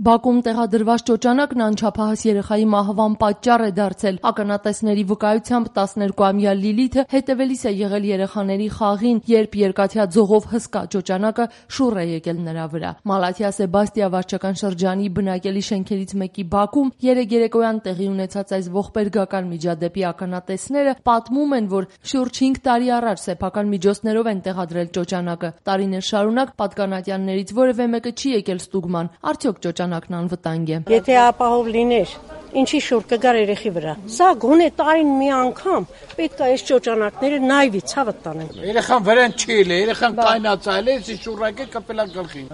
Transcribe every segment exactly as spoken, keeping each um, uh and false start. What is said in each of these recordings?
Բաքվում տեղադրված ճոճանակն անչափահաս երեխայի մահվան պատճառ է դարձել։ Ականատեսների վկայությամբ տասներկուամյա Լիլիթը հետևելիս է եղել երեխաների խաղին, երբ երկաթյա ձողով հսկա ճոճանակը շուռ է եկել նրա վրա։ Մալաթիա Սեբաստիա վարչական շրջանի բնակելի շենքերից մեկի բակում երեկ երեկոյան տեղի ունեցած այս ողբերգական միջադեպի ականատեսները պատմում են, որ շուրջ հինգ տարի առաջ սեփական միջոցներով են տեղադրել ճոճանակը։ Տարիներ շարունակ պատկանատյաններից որևէ մեկը չի եկել ստուգման, արդյոք ճոճանակն անվտանգ է։ Եթե ապահով լիներ, ինչի շուռ կգար երեխի վրա։ Սա գոնե տարին մի անգամ պետք է այս ճոճանակները նայվի ցավը տանեն։ Երեխան վրան չի լե, երեխան կայնացել է, իսկ շուռակը կպելա գլխին։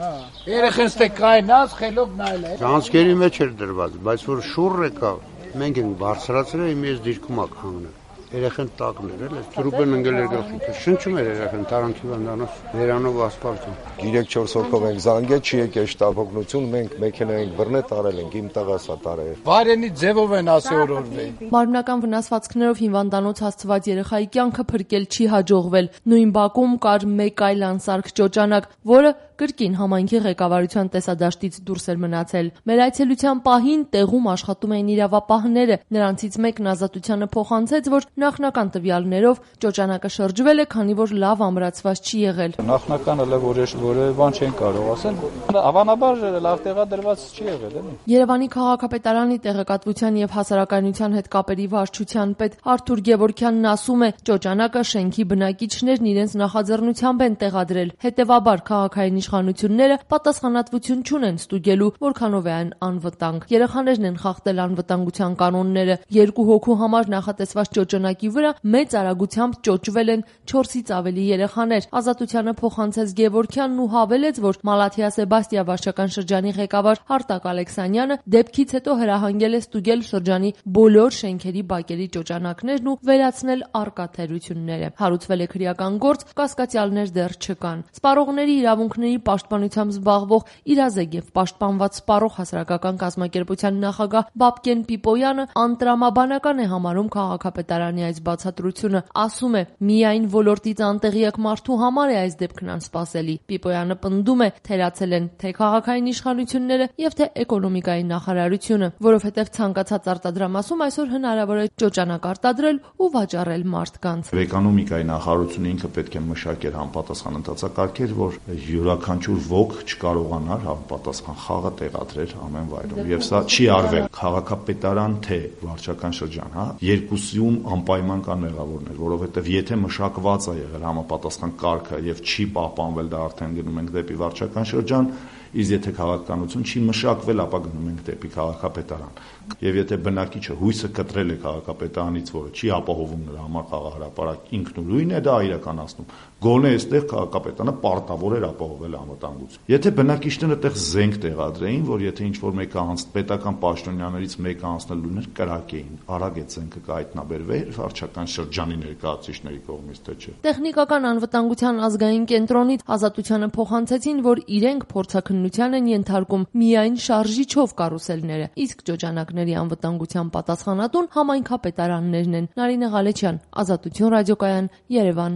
Երեխան ստե կայնած, խելոք նայել է։ Ճանցքերի մեջ էր դրված, բայց որ շուռը կա, մենք ենք բարձրացրել, իմ ես դիրքում ակ հանգնել։ Երեխան տակն էր, էլ ծրուպեն ընկել էր գլխին։ Շնչում էր երեխան, տարանքի վանդանով, վերանով ասֆալտում։ երեք-չորս հոգով ենք զանգել, չի եկել շտապօգնություն, մենք մեքենա ենք բռնել, տարել ենք, իմ տղա սա տարել։ Վարենի ձևով են ասի օրորվել։ Մարմնական վնասվածքներով հիվանդանոց հասցված երեխայի կյանքը փրկել չի հաջողվել։ Նույն բակում կար մեկ այլ անսարք ճոճանակ, որը կրկին համայնքի ղեկավարության տեսադաշտից դուրս էր մնացել։ Մեր այցելության պահին տեղում աշխատում էին իրավապահները։ Նրանցից մեկն ազատությանը փոխանցեց, որ նախնական տվյալներով ճոճանակը շրջվել է, քանի որ լավ ամրացված չի եղել։ Նախնականը լավ որևէ բան չեն կարող ասել։ Հավանաբար լավ տեղադրված չի եղել, էլի։ Երևանի քաղաքապետարանի տեղեկատվության եւ հասարակայնության հետ կապերի վարչության պետ Արթուր Գևորգյանն ասում է, ճոճանակը շենքի բնակիչներն իրենց նախաձեռնությամբ են տեղադրել։ Հետևաբար քաղաքային իշխանությունները պատասխանատվություն չունեն ստուգելու, որքանով է այն անվտանգ։ Երեխաներն են խախտել անվտանգության կանոնները։ Երկու հոգու համար նախատեսված ճոճանակի վրա մեծ արագությամբ ճոճվել են չորսից ավելի երեխաներ։ Ազատությանը փոխանցեց Գևորգյանն ու հավելեց, որ Մալաթիա Սեբաստիա վարչական շրջանի ղեկավար Արտակ Ալեքսանյանը դեպքից հետո հրահանգել է ստուգել շրջանի բոլոր շենքերի բակերի ճոճանակներն ու վերացնել առկա թերությունները։ Հարուցվել է քրեական գործ, կասկածյալներ դեռ չկան։ Սպառողների իրավունքների պաշտպանությամբ զբաղվող իրազեկ եւ պաշտպանված սպառող հասարակական կազմակերպության նախագահ Բաբկեն Պիպոյանը անտրամաբանական է համարում քաղաքապետարանի այս բացատրությունը, ասում է, միայն ոլորտից անտեղյակ մարդու համար է այս դեպքն անսպասելի։ Պիպոյանը պնդում է, թերացել են թե քաղաքային իշխանությունները եւ թե էկոնոմիկայի նախարարությունը, որովհետեւ ցանկացած արտադրամասում այսօր հնարավոր է ճոճանակ արտադրել ու վաճառել մարդկանց։ Էկոնոմիկայի նախարարությունը ինքը պետք է մշակեր համապատասխան ընթացակարգեր, որ յուրաքանչյուր ոք չկարողանար համապատասխան խաղը տեղադրել ամեն վայրում։ Եվ սա չի արվել քաղաքապետարան թե վարչական շրջան, հա, երկուսիում անպայման կան մեղավորներ, որովհետև եթե մշակված է եղել համապատասխան կարգը եւ չի պահպանվել, դա արդեն գնում ենք դեպի վարչական շրջան, իսկ եթե քաղաքականություն չի մշակվել, ապա գնում ենք դեպի քաղաքապետարան։ Եվ եթե բնակիչը հույսը կտրել է քաղաքապետարանից, որը չի ապահովում նրա համար խաղահրապարակ, ինքնուրույն է դա իրականացնում, գոնե այստեղ քաղաքապետարանը պարտավոր էր ապահովել անվտանգություն։ Եթե բնակիչները այդտեղ զենք տեղադրեին, որ եթե ինչ-որ մեկը անց պետական պաշտոնյաներից մեկը անցնելու ուներ, կրակեին, արագ այդ զենքը կհայտնաբերվեր վարչական շրջանի ներկայացուցիչների կողմից, թե չէ։ Տեխնիկական անվտանգության ազգային կենտրոնից ազատությանը փոխանցեցին, որ իրենք փորձաքննության են ենթարկում միայն շարժիչով կարուսելները, իսկ ճոճանակների անվտանգության պատասխանատուն համայնքապետարաններն են։ Նարինե Ղալեչյան, Ազատություն ռադիոկայան, Երևան։